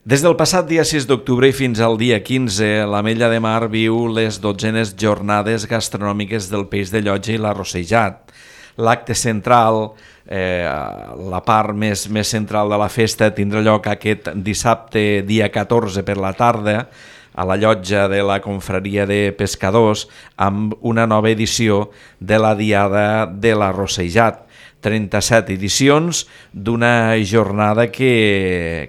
Des del passat dia 6 d'octubre i fins al dia 15, l'Ametlla de Mar viu les 12enes jornades gastronòmiques del peix de llotja i l'arrossejat. L'acte central, la part més central de la festa, tindrà lloc aquest dissabte, dia 14 per la tarda, a la llotja de la Confraria de Pescadors, amb una nova edició de la Diada de l'Arrossejat. 37 edicions d'una jornada que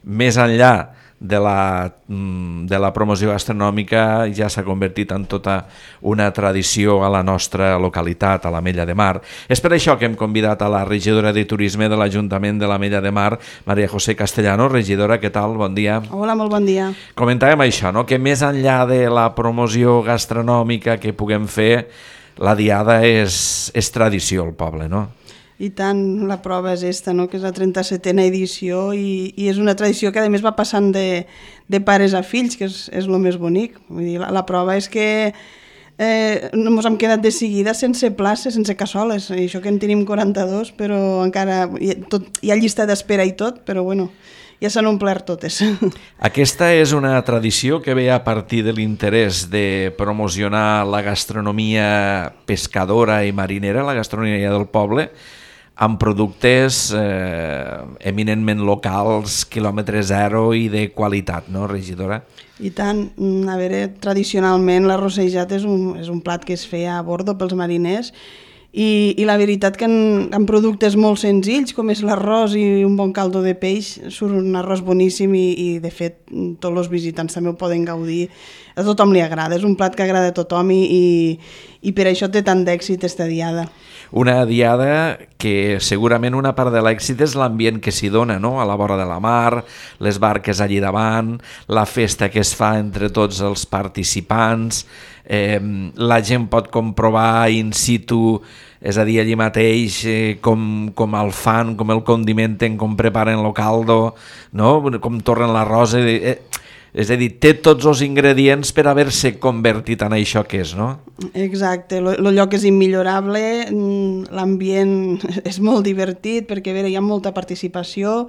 més enllà de la promoció gastronòmica ja s'ha convertit en tota una tradició a la nostra localitat, a l'Ametlla de Mar. És per això que hem convidat a la regidora de Turisme de l'Ajuntament de l'Ametlla de Mar, Maria José Castellano. Regidora, què tal? Bon dia. Hola, molt bon dia. Comentàvem això, no? Que més enllà de la promoció gastronòmica que puguem fer, la Diada és tradició al poble, no? I tant, la prova és esta, no? Que és la 37a edició i és una tradició que a més va passant de pares a fills, que és el més bonic. Vull dir, la prova és que ens hem quedat de seguida sense places, sense cassoles. I això que en tenim 42, però encara hi ha llista d'espera i tot, però bueno, ja s'han omplert totes. Aquesta és una tradició que ve a partir de l'interès de promocionar la gastronomia pescadora i marinera, la gastronomia del poble, amb productes eminentment locals, quilòmetre zero i de qualitat, no, regidora? I tant, a veure, tradicionalment l'arrossejat és un plat que es feia a bordo pels mariners i la veritat que en productes molt senzills, com és l'arròs i un bon caldo de peix, surt un arròs boníssim i de fet tots els visitants també ho poden gaudir. A tothom li agrada, és un plat que agrada a tothom i per això té tant d'èxit esta diada. Una diada que segurament una part de l'èxit és l'ambient que s'hi dona, no? A la vora de la mar, les barques allí davant, la festa que es fa entre tots els participants, la gent pot comprovar in situ, és a dir, allí mateix com el fan, com el condimenten, com preparen el caldo, no? Com torren l'arròs. És a dir, té tots els ingredients per haver-se convertit en això que és, no? Exacte, el lloc és immillorable, l'ambient és molt divertit perquè hi ha molta participació.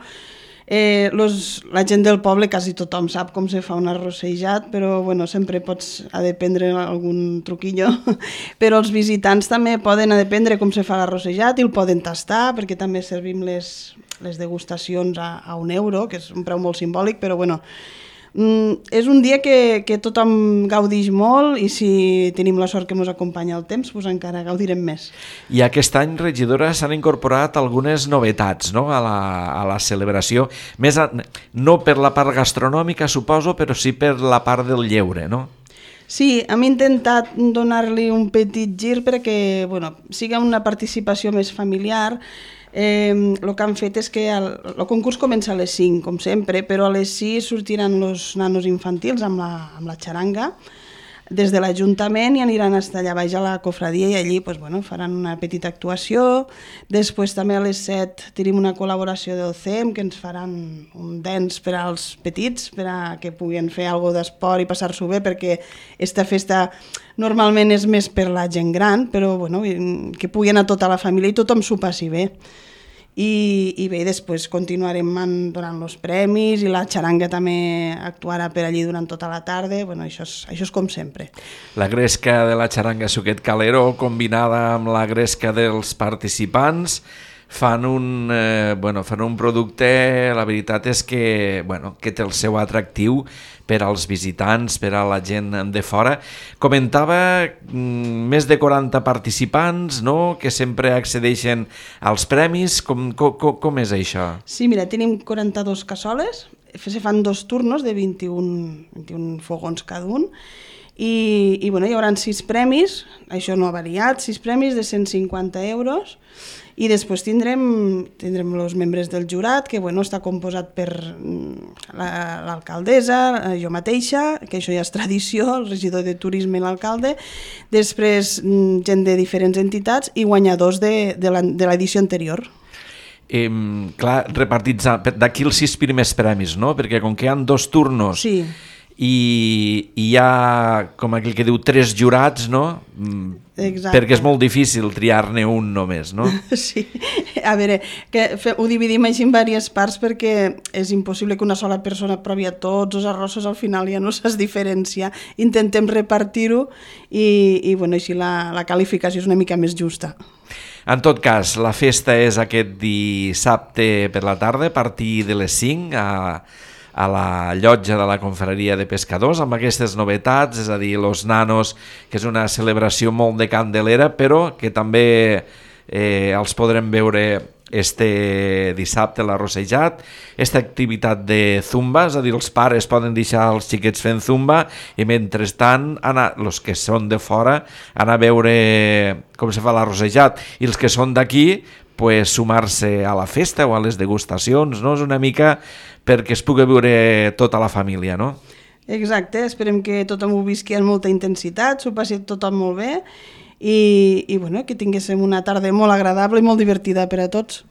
La gent del poble, quasi tothom sap com se fa un arrossejat, però bueno, sempre pots aprendre algun truquillo. Però els visitants també poden aprendre com se fa l'arrossejat i el poden tastar, perquè també servim les degustacions a €1, que és un preu molt simbòlic, però bueno, és un dia que tothom gaudix molt i si tenim la sort que ens acompanya el temps, doncs encara gaudirem més. I aquest any, regidora, s'han incorporat algunes novetats, no? a la celebració, no per la part gastronòmica, suposo, però sí per la part del lleure, no? Sí, hem intentat donar-li un petit gir perquè sigui una participació més familiar. El que han fet és que el concurs comença a les 5, com sempre, però a les 6 sortiran els nanos infantils amb la xaranga des de l'Ajuntament i aniran allà baix a la cofradia i allí faran una petita actuació. Després també a les 7 tenim una col·laboració del CEM que ens faran un dance per als petits, per a que puguin fer alguna cosa d'esport i passar-s'ho bé, perquè aquesta festa normalment és més per la gent gran, però que pugui anar tota la família i tothom s'ho passi bé. I bé, després continuarem donant els premis i la xaranga també actuarà per allí durant tota la tarda. Això és com sempre. La gresca de la xaranga Suquet Calero combinada amb la gresca dels participants fan un producte, la veritat és que té el seu atractiu per als visitants, per a la gent de fora. Comentava més de 40 participants, no?, que sempre accedeixen als premis. Com és això? Sí, mira, tenim 42 cassoles, se fan 2 turnos de 21 fogons cada un, i hi haurà 6 premis, això no ha variat, 6 premis de €150, i després tindrem els membres del jurat, que està composat per l'alcaldessa, jo mateixa, que això ja és tradició, el regidor de Turisme i l'alcalde, després gent de diferents entitats i guanyadors de l'edició anterior. Clar, repartits d'aquí els 6 primers premis, no? Perquè com que hi ha 2 turnos, sí, i hi ha, com aquell que diu, 3 jurats, no? Exacte. Perquè és molt difícil triar-ne un només, no? Sí, a veure, ho dividim així en diverses parts perquè és impossible que una sola persona provi a tots els arrossos, al final ja no saps diferenciar. Intentem repartir-ho i bueno, així la qualificació és una mica més justa. En tot cas, la festa és aquest dissabte per la tarda a partir de les 5 a la llotja de la Confraria de Pescadors, amb aquestes novetats, és a dir, Los Nanos, que és una celebració molt de candelera, però que també els podrem veure este dissabte a l'Arrossejat, aquesta activitat de zumba, és a dir, els pares poden deixar els xiquets fent zumba i mentrestant els que són de fora anar a veure com se fa l'Arrossejat, i els que són d'aquí pues, sumar-se a la festa o a les degustacions, no? És una mica perquè es pugui veure tota la família, no? Exacte, esperem que tothom ho visqui amb molta intensitat, s'ho passi tothom molt bé i bueno, que tinguéssim una tarda molt agradable i molt divertida per a tots.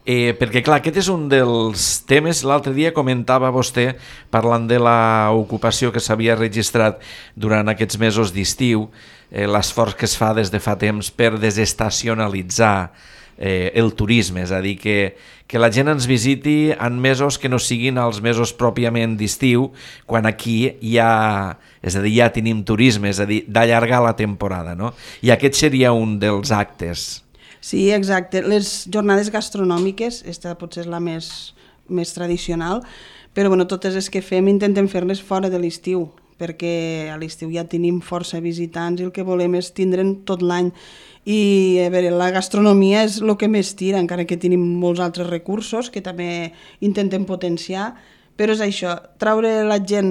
Perquè clar, aquest és un dels temes, l'altre dia comentava vostè, parlant de l'ocupació que s'havia registrat durant aquests mesos d'estiu, l'esforç que es fa des de fa temps per desestacionalitzar el turisme, és a dir, que la gent ens visiti en mesos que no siguin els mesos pròpiament d'estiu, quan aquí és a dir, ja tenim turisme, és a dir, d'allargar la temporada, no? I aquest seria un dels actes. Sí, exacte. Les jornades gastronòmiques, aquesta potser és la més tradicional, però bueno, totes les que fem intentem fer-les fora de l'estiu, perquè a l'estiu ja tenim força visitants i el que volem és tindre'n tot l'any. I a veure, la gastronomia és el que més tira, encara que tenim molts altres recursos que també intentem potenciar, però és això, traure la gent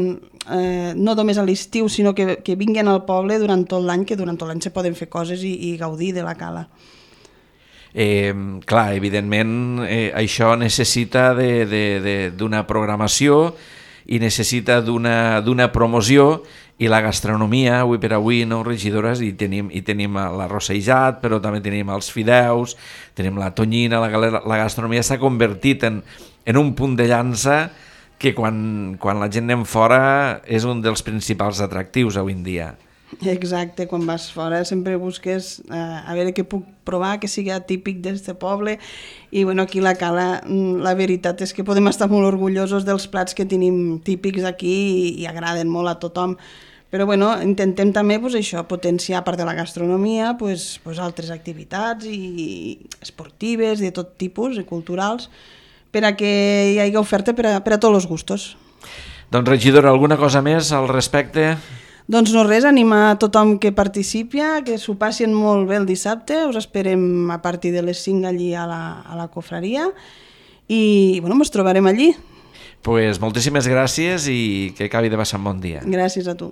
no només a l'estiu, sinó que vinguin al poble durant tot l'any, que durant tot l'any se poden fer coses i gaudir de la cala. Clar, evidentment això necessita d'una programació i necessita d'una promoció, i la gastronomia, avui per avui, no, regidores, i tenim l'arrossejat, però també tenim els fideus, tenim la tonyina, la gastronomia s'ha convertit en un punt de llança que quan la gent anem fora és un dels principals atractius avui en dia. Exacte, quan vas fora sempre busques a veure què puc provar, que sigui típic d'aquest poble, i bueno, aquí a la cala la veritat és que podem estar molt orgullosos dels plats que tenim típics aquí i agraden molt a tothom, però bueno, intentem també pues, això, potenciar a part de la gastronomia pues, altres activitats i esportives de tot tipus i culturals per a que hi hagi oferta per a tots els gustos. Doncs regidora, alguna cosa més al respecte? Doncs no res, animar a tothom que participi, que s'ho passin molt bé el dissabte, us esperem a partir de les 5 allí a la Confraria i bueno, ens trobarem allí. Pues moltíssimes gràcies i que acabi de passar un bon dia. Gràcies a tu.